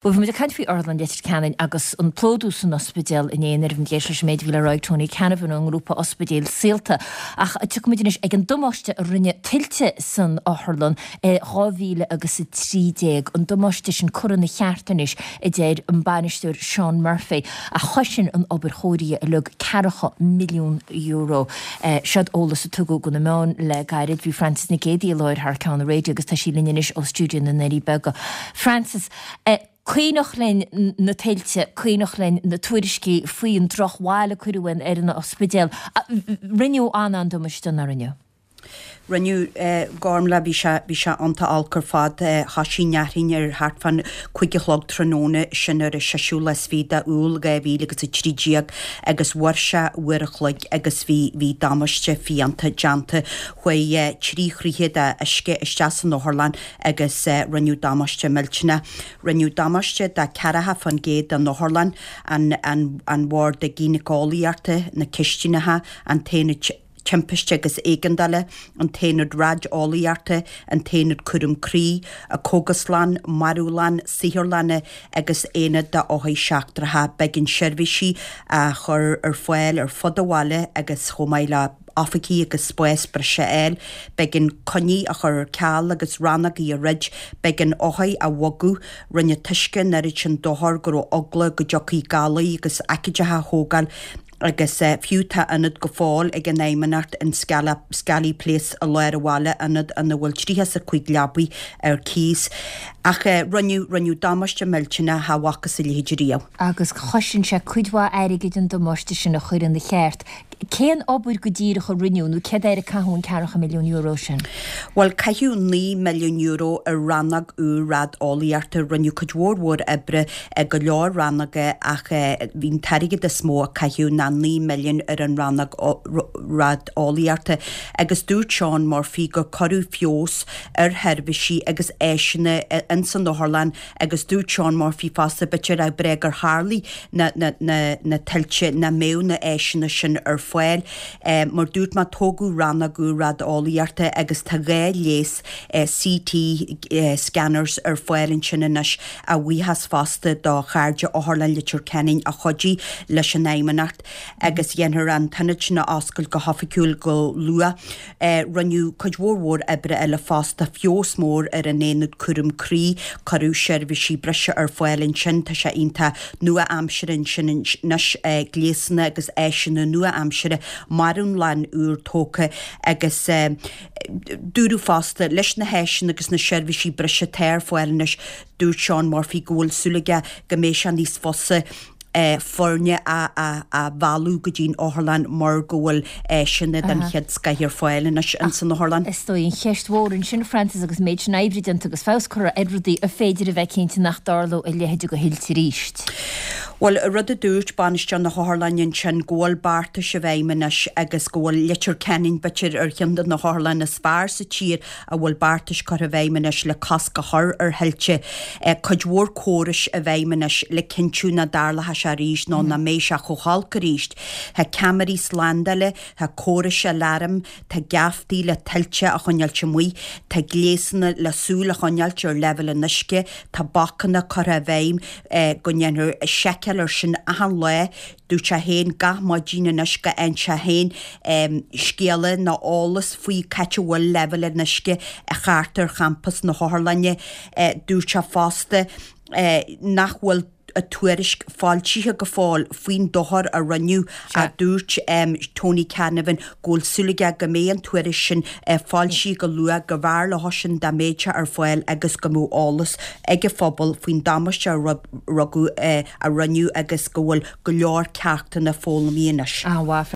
Bhuel, bhí muid ag caint faoi Otharlann Leitir Ceanainn agus an plódú san ospidéal inné nuair a bhí muid ag éisteacht leis an méid a bhí le rá ag Tony Canavan ón ngrúpa Ospidéil Saolta. Ach tiocfaidh muid anois ag an damáiste a rinne tuilte san otharlann i 2013. An damáiste sin curtha ina cheart anois, a deir an bainisteoir Seán Murphy, ach chosain an obair chóirithe uilig ceathracha milliún euro. Seod eolas a tugadh do na meáin le gairid. Bhí Frances Nic Géadaigh i láthair thar ceann an raidió agus tá sí linn anois ó stiúideo na nDoirí Beaga. Frances, Cuimhneach linn na tuilte, cuimhneach linn na tuairiscí faoi an drochbhail a cuireadh ar an ospidéal. Rinneadh an-an-damáiste, nár rinneadh? Rinneadh, Gormlaith, bhí sé, bhí sé iontach olc ar fad. Thoisigh an fhearthainn ar thart fán cúig a chlog tráthnóna, sin ar an seisiú lá is fiche de Iúil 2013 agus mhair sé uair a chloig agus bhí, bhí damáiste fiánta déanta. Chuaigh trí throithe de uisce isteach san otharlann agus rinneadh damáiste millteanach. Rinneadh damáiste de 40% den otharlann, an bord gínéiceolaíochta, na cistineacha, an t-aonad timpiste agus éigeandála, an t-aonad raideolaíochta, an t-aonad cúram croí, an chógaslann, marbhlann, saotharlanna agus aonad d'othair seachtracha. B'éigean seirbhísí a chur ar fáil ar fud an bhaile agus chomh maith le oifigí agus spás breise a fháil. B'éigean coinní a chur ar ceal agus rannógaí a dhruid. B'éigean othair a bhogadh. Rinne an t-uisce an oiread sin dochair go raibh eagla go dtiocfaí galair agus aicídeacha a thógáil agus fiú tá ionad go fóill ag an Fheidhmeannacht in Scally Place i lár an bhaile, ionad ina bhfuil 35 leabaidh ar cíos. Ach rinneadh, rinneadh damáiste millteanach cha bhfacthas a leithéid riamh. Agus chosain sé cuid mhaith airgid an damáiste sin a chur ina cheart. Cén obair go díreach a rinneadh nó céard air a caitheadh an ceathracha milliún euro sin? Bhuel, caitheadh €9 milliún ar rannóg úr rad-eolaíochta. Rinneadh cuid mhór mhór oibre i go leor rannóga ach bhí an t-airgead is mó a caitheadh ná 9 milliún ar an rannóg rad-eolaíochta agus dúirt Seán Murphy gur cuireadh feabhas ar sheirbhísí agus áiseanna ins an otharlann Agus dúirt Seán Murphy fosta, b'fhéidir nach breá gur tharlaigh na na tuilte, nach mbeadh na áiseanna sin ar fáil. Mar dúirt mé, tógadh rannóg úr rad-eolaíochta agus tá 2 ghléas CT scanners ar fáil ansin anois, a bhuíochas fosta do Chairde Otharlann Leitir Ceanainn a chuidigh leis an Fheidhmeannacht agus dhéanfar an t-ionad sin a oscailt go hoifigiúil go luath. Rinneadh cuid mhór mhór oibre eile fosta, feabhas mór ar an aonad cúram croí, cuireadh seirbhísí breise ar fáil ansin, tá sé iontach nua-aimseartha ansin anois, gléasanna agus áiseanna nua-aimseartha, marbhlann úr tógtha agus dúradh fosta, leis na háiseanna agus na seirbhísí breise atá ar fáil anois, dúirt Seán Murphy go bhfuil súil aige go mbeidh sé níos fusa foirne a mhealladh go dtí'n otharlann mar go bhfuil áiseanna den chéad scoith ar fáil anois ins an otharlann. Is dóigh an cheist mhór ansin, Frances, agus an méid sin oibre déanta agus feabhas curtha ar rudaí, an féidir a bheith cinnte nach dtarlódh a leithéid de thuilte arís? Bhuel, rud a dúirt bainisteoir na hotharlainne ansin, go bhfuil beartais i bhfeidhm anois agus go bhfuil Leitir Ceanainn, b'fhéidir, ar cheann de na hotharlanna is fearr sa tír a bhfuil beartais curtha i bhfeidhm anois le cosc a chur ar thuilte, cuid mhór córais i bhfeidhm anois le cinntiú nach dtarlóidh sé arís nó nach mbeidh sé chomh holc arís. Tá ceamaraí slándála, tá córais aláraim, tá geaftaí le tuilte a choinneáilt amuigh, tá gléasanna le súil a choinneáilt ar leibhéal an uisce, tá bacanna curtha i bhfeidhm go ndéanfar seiceáil air sin achan lá. Dúirt sé féin gach maidin anois go bhfaigheann sé féin scéala nó eolas faoi c'áit a bhfuil leibhéal an uisce thart ar champas na hotharlainne. Dúirt sé fosta nach bhfuil tuairisc foilsithe go fóill faoin dochar a rinneadh ach dúirt Tony Canavan go bhfuil súil aige go mbeidh an tuairisc sin foilsithe go luath, go mb'fhearr leo sin dá mbeadh sé ar fáil agus go mbeadh eolas ag an phobal faoin damáiste a rugadh, a rinneadh agus go bhfuil go leor ceachtanna foghlamtha anois. An-mhaith.